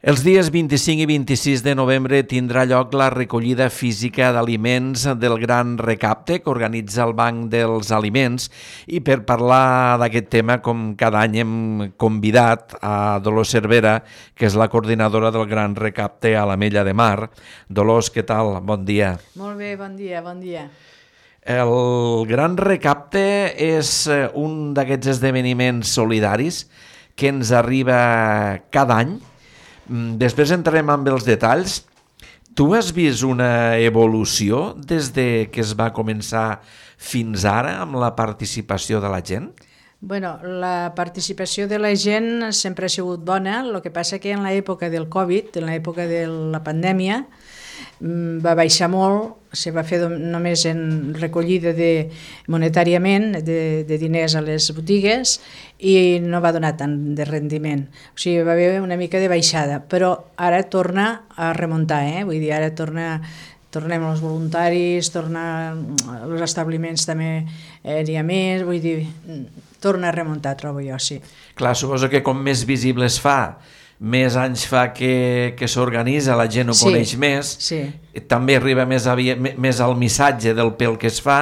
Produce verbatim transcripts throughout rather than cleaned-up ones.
Els dies vint-i-cinc i vint-i-sis de novembre tindrà lloc la recollida física d'aliments del Gran Recapte que organitza el Banc dels Aliments, i per parlar d'aquest tema, com cada any, hem convidat a Dolors Cervera, que és la coordinadora del Gran Recapte a l'Ametlla de Mar. Dolors, què tal? Bon dia. Molt bé, bon dia, bon dia. El Gran Recapte és un d'aquests esdeveniments solidaris que ens arriba cada any. Després entrarem amb els detalls. Tu has vist una evolució des de que es va començar fins ara amb la participació de la gent? Bueno, la participació de la gent sempre ha sigut bona, el que passa que en l'època del Covid, en l'època de la pandèmia, va baixar molt, se va fer només en recollida de, monetàriament de, de diners a les botigues, i no va donar tant de rendiment. O sigui, va haver una mica de baixada, però ara torna a remuntar, eh? Vull dir, ara torna, tornem als voluntaris, torna als establiments també eh, n'hi ha més, vull dir, torna a remuntar, trobo jo, sí. Clar, suposo que com més visible es fa, més anys fa que, que s'organitza, la gent ho sí, coneix més, sí. També arriba més, avia, més al missatge del pel que es fa,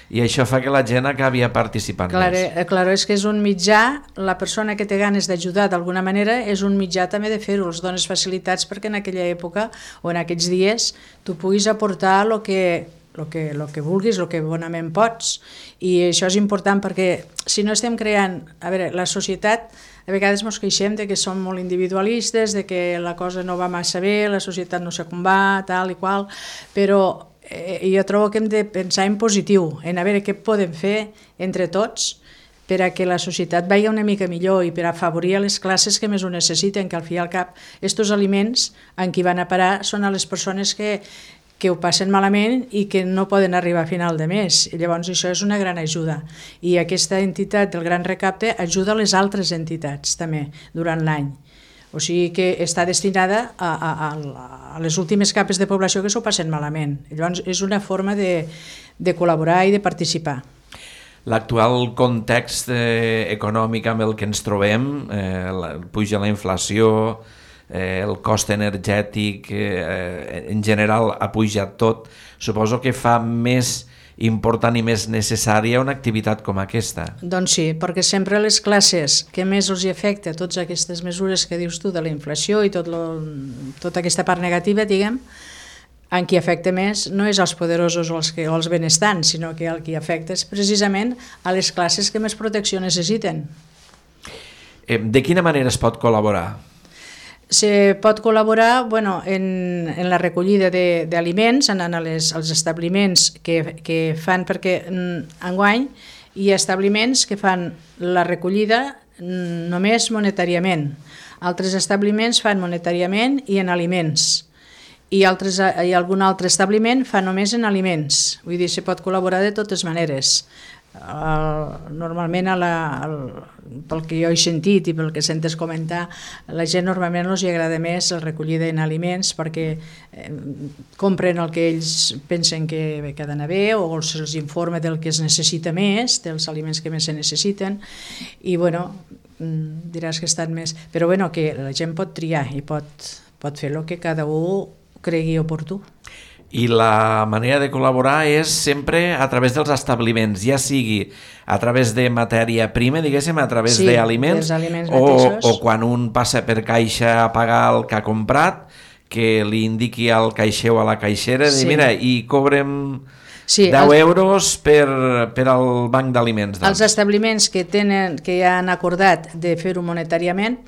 i això fa que la gent acabi participant clar, més. Clar, és que és un mitjà, la persona que té ganes d'ajudar d'alguna manera és un mitjà també de fer-ho, els dones facilitats perquè en aquella època o en aquests dies tu puguis aportar el que, lo que, lo que vulguis, el que bonament pots, i això és important perquè si no estem creant, a veure, la societat a vegades ens queixem de que som molt individualistes, de que la cosa no va massa bé, la societat no sé com va, tal i qual, però eh, jo trobo que hem de pensar en positiu, en a veure què podem fer entre tots per a que la societat vagi una mica millor i per a afavorir les classes que més ho necessiten, que al fi i al cap estos aliments en qui van a parar són a les persones que que ho passen malament i que no poden arribar a final de mes. I llavors això és una gran ajuda. I aquesta entitat del Gran Recapte ajuda a les altres entitats també durant l'any. O sigui que està destinada a, a, a les últimes capes de població que s'ho passen malament. Llavors és una forma de, de col·laborar i de participar. L'actual context eh, econòmic amb el que ens trobem, eh, la, puja la inflació, Eh, el cost energètic eh, en general ha pujat tot, suposo que fa més important i més necessària una activitat com aquesta. Doncs sí, perquè sempre les classes que més els hi afecta totes aquestes mesures que dius tu de la inflació i tot lo, tota aquesta part negativa, diguem, en qui afecta més no és als poderosos o als, que, o als benestants, sinó que el que afecta és precisament a les classes que més protecció necessiten. Eh, de quina manera es pot col·laborar? Se pot col·laborar bueno, en, en la recollida d'aliments, anant als, als establiments que, que fan, perquè enguany hi ha establiments que fan la recollida només monetàriament, altres establiments fan monetàriament i en aliments, i, altres, i algun altre establiment fa només en aliments, vull dir, se pot col·laborar de totes maneres. Uh, normalment a la, al, pel que jo he sentit i pel que sentes comentar, la gent normalment els agrada més la recollida en aliments perquè eh, compren el que ells pensen que, que ha d'anar bé o se'ls informa del que es necessita més, dels aliments que més se necessiten, i bueno, diràs que estan més, però bueno, que la gent pot triar i pot, pot fer el que cada un cregui oportú. I la manera de col·laborar és sempre a través dels establiments, ja sigui a través de matèria prima, diguéssim, a través sí, d'aliments, o, o quan un passa per caixa a pagar el que ha comprat, que li indiqui al caixer o a la caixera, sí. Dir, mira, i cobrem sí, deu els, euros per, per al banc d'aliments. Doncs. Els establiments que, tenen, que ja han acordat de fer-ho monetàriament,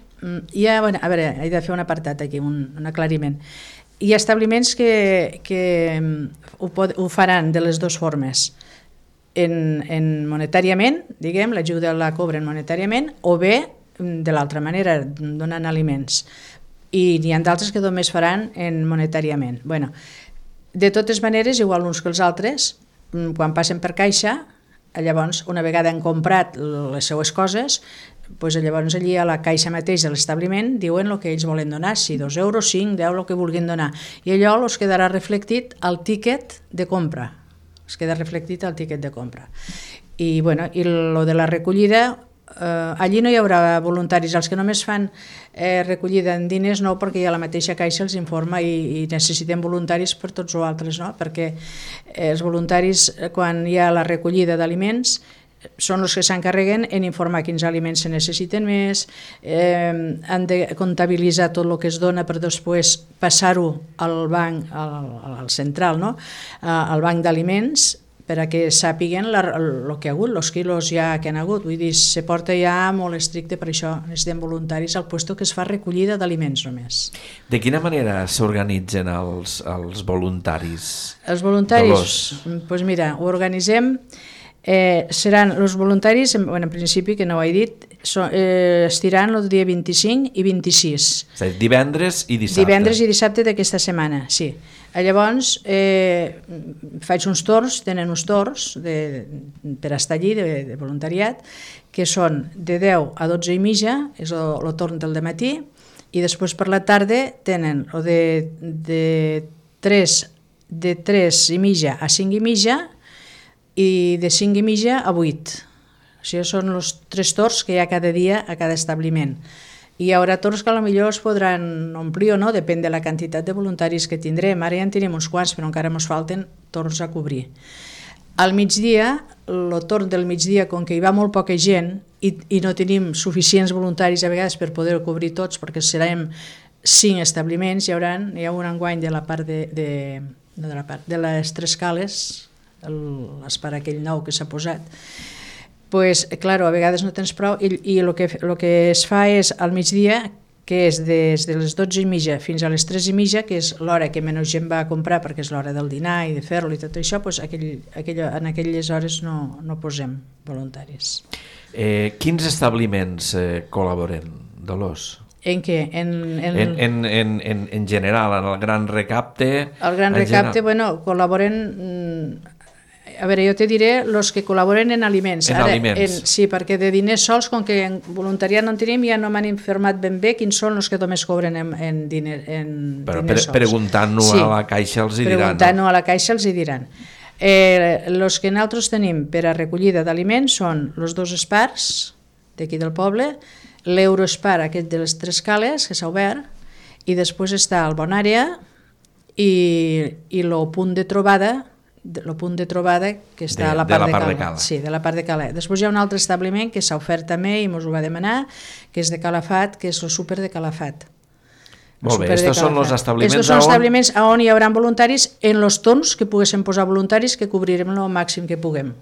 ja, bueno, a veure, he de fer un apartat aquí, un, un aclariment. Hi ha establiments que, que ho, pot, ho faran de les dues formes, en, en monetàriament, diguem, l'ajuda la cobren monetàriament, o bé de l'altra manera, donant aliments. I n'hi ha d'altres que només faran en monetàriament. Bueno, de totes maneres, igual uns que els altres, quan passen per caixa, llavors, una vegada han comprat les seues coses, doncs llavors allí a la caixa mateix de l'establiment diuen el que ells volen donar, si dos euros, cinc, deu, el que vulguin donar. I allò els quedarà reflectit al tíquet de compra. Es queda reflectit al tíquet de compra. I, bueno, i lo de la recollida eh, allí no hi haurà voluntaris, els que només fan eh, recollida en diners no, perquè ja la mateixa Caixa els informa i, i necessitem voluntaris per tots els altres, no? Perquè eh, els voluntaris, quan hi ha la recollida d'aliments, són els que s'encarreguen en informar quins aliments se necessiten més, eh, han de comptabilitzar tot el que es dona per després passar-ho al banc, al, al central, no? Al banc d'aliments, per a que sàpiguen el que ha hagut, els quilos ja que han hagut. Vull dir, se porta ja molt estricte, per això necessitem voluntaris al puesto que es fa recollida d'aliments només. De quina manera s'organitzen els, els voluntaris? Els voluntaris? Doncs pues mira, ho organitzem, eh, seran els voluntaris, bueno, en principi, que no ho he dit, so, eh, estiran el dia vint-i-cinc i vint-i-sis. És a dir, divendres i dissabte. Divendres i dissabte d'aquesta setmana, sí. Llavors, eh, faig uns torns, tenen uns torns de, per estar allí, de, de voluntariat, que són de deu a dotze i mitja, és el, el torn del dematí, i després per la tarda tenen o de, de, tres, de tres i mitja a cinc i mitja i de cinc i mitja a vuit. O sigui, són els tres torns que hi ha cada dia a cada establiment. I hi haurà torns que potser es podran omplir o no, depèn de la quantitat de voluntaris que tindrem. Ara ja en tenim uns quants, però encara ens falten torns a cobrir. Al migdia, el torn del migdia, com que hi va molt poca gent i, i no tenim suficients voluntaris a vegades per poder cobrir tots, perquè serem cinc establiments, hi haurà, hi ha un enguany de la part de, de, de, la part, de les tres cales, l'espar aquell nou que s'ha posat, pues, claro, a vegades no tens prou i, i el, que, el que es fa és al migdia, que és des de les dotze i mitja fins a les tres i mitja, que és l'hora que menys gent va a comprar perquè és l'hora del dinar i de fer-lo i tot això, pues, aquell, aquell, en aquelles hores no, no posem voluntaris. Eh, quins establiments eh, col·laboren, Dolors? En què? En, en... En, en, en, en, en general, en el Gran Recapte... El Gran Recapte, general... bueno, col·laboren... A veure, jo te diré els que col·laboren en aliments. En Ara, aliments. En, sí, perquè de diners sols, com que en voluntariat no en tenim, ja no m'han informat ben bé quins són els que només cobren en, en, diner, en Però diners pre sols. Preguntant-ho sí, a la Caixa els hi diran. Preguntant-ho no? a la Caixa els hi diran. Eh, els que nosaltres tenim per a recollida d'aliments són els dos espars d'aquí del poble, l'Euroespar, aquest de les tres cales, que s'ha obert, i després està el Bonària i, i el punt de trobada, el punt de trobada que està de, a la part de, de, la part Cala. de Cala. Sí, de la part de Cala. Després hi ha un altre establiment que s'ha ofert també i ens ho va demanar, que és de Calafat, que és el súper de Calafat. Molt bé, estos són els establiments, estos són establiments on... on hi haurà voluntaris en els torns que poguéssim posar voluntaris, que cobrirem el màxim que puguem.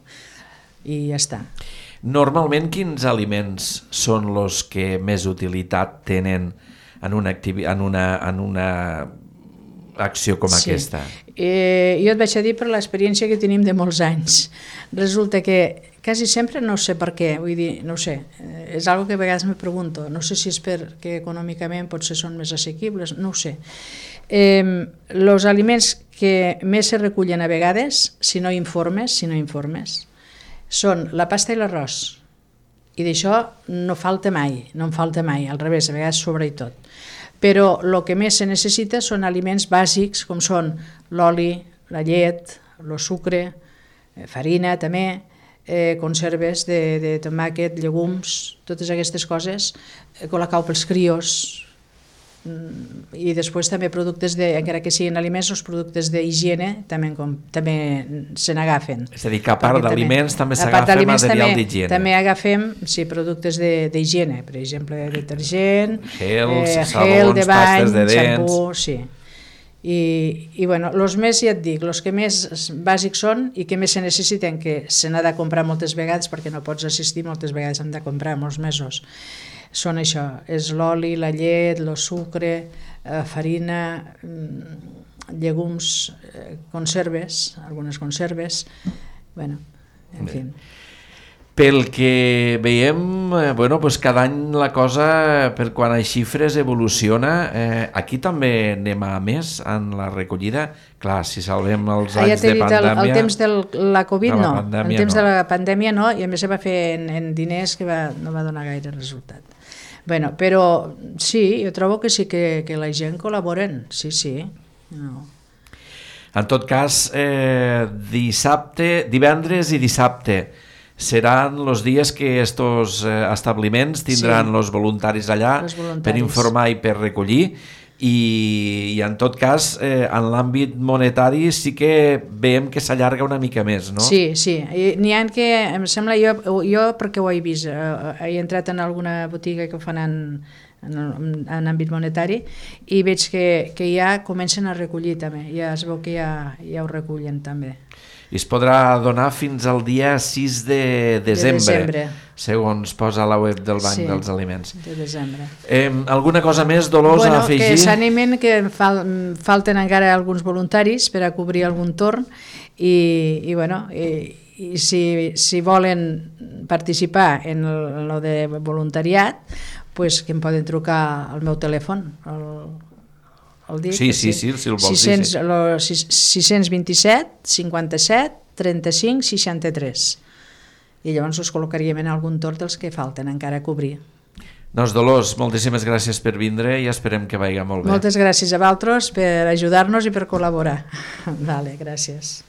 I ja està. Normalment, quins aliments són els que més utilitat tenen en una, activi... en una, en una acció com sí. aquesta? Eh, jo et vaig a dir per l'experiència que tenim de molts anys. Resulta que quasi sempre, no sé per què, vull dir, no ho sé, és algo que a vegades me pregunto, no sé si és perquè econòmicament potser són més assequibles, no ho sé. Els eh, aliments que més se recullen a vegades, si no informes, si no informes, són la pasta i l'arròs. I d'això no falta mai, no en falta mai, al revés, a vegades sobra i tot. Però el que més se necessita són aliments bàsics, com són l'oli, la llet, el sucre, farina també, eh, conserves de, de tomàquet, llegums, totes aquestes coses, eh, colacau pels crios, i després també productes, de, encara que siguin aliments, els productes d'higiene també, com, també se n'agafen. És a dir, que a part d'aliments també s'agafa material d'higiene. També agafem sí, productes d'higiene, per exemple, detergent, gels, eh, sabons, gel de bany, pastes de dents... xampú, sí. I, i bueno, els més, ja et dic, els que més bàsics són i que més se necessiten, que se n'ha de comprar moltes vegades perquè no pots assistir, moltes vegades hem de comprar molts mesos, són això, és l'oli, la llet, el sucre, eh, farina, llegums, eh, conserves, algunes conserves, bueno, en fi. Pel que veiem, eh, bueno, pues cada any la cosa, per quan a xifres, evoluciona. Eh, aquí també anem a més en la recollida. Clar, si salvem els anys ah, ja de pandèmia... El, el temps de la Covid la no, pandèmia, el temps no. de la pandèmia no, i a més se va fer en, en diners que va, no va donar gaire resultat. Bueno, però sí, jo trobo que sí que, que la gent col·laboren, sí, sí. No. En tot cas, eh, dissabte, divendres i dissabte, seran els dies que estos eh, establiments tindran els sí. voluntaris allà voluntaris. per informar i per recollir. I, i en tot cas eh, en l'àmbit monetari sí que veiem que s'allarga una mica més, no? Sí, sí, n'hi ha que em sembla, jo, jo perquè ho he vist, eh, he entrat en alguna botiga que ho fan en, en, en àmbit monetari i veig que, que ja comencen a recollir també, ja es veu que ja, ja ho recullen també. I es podrà donar fins al dia sis de desembre, de desembre. segons posa a la web del Banc sí, dels Aliments. De desembre. Eh, alguna cosa més, Dolors, bueno, a afegir? Que s'animen, que fal, falten encara alguns voluntaris per a cobrir algun torn i, i bueno, i, i si, si volen participar en el de voluntariat, pues que em poden trucar al meu telèfon, el el dic, sí, sí, sí, si el vols dir. sis dos set, cinquanta-set, trenta-cinc, seixanta-tres. I llavors us col·locaríem en algun torn dels que falten encara a cobrir. Doncs Dolors, moltíssimes gràcies per vindre i esperem que vagi molt bé. Moltes gràcies a vosaltres per ajudar-nos i per col·laborar. Vale, gràcies.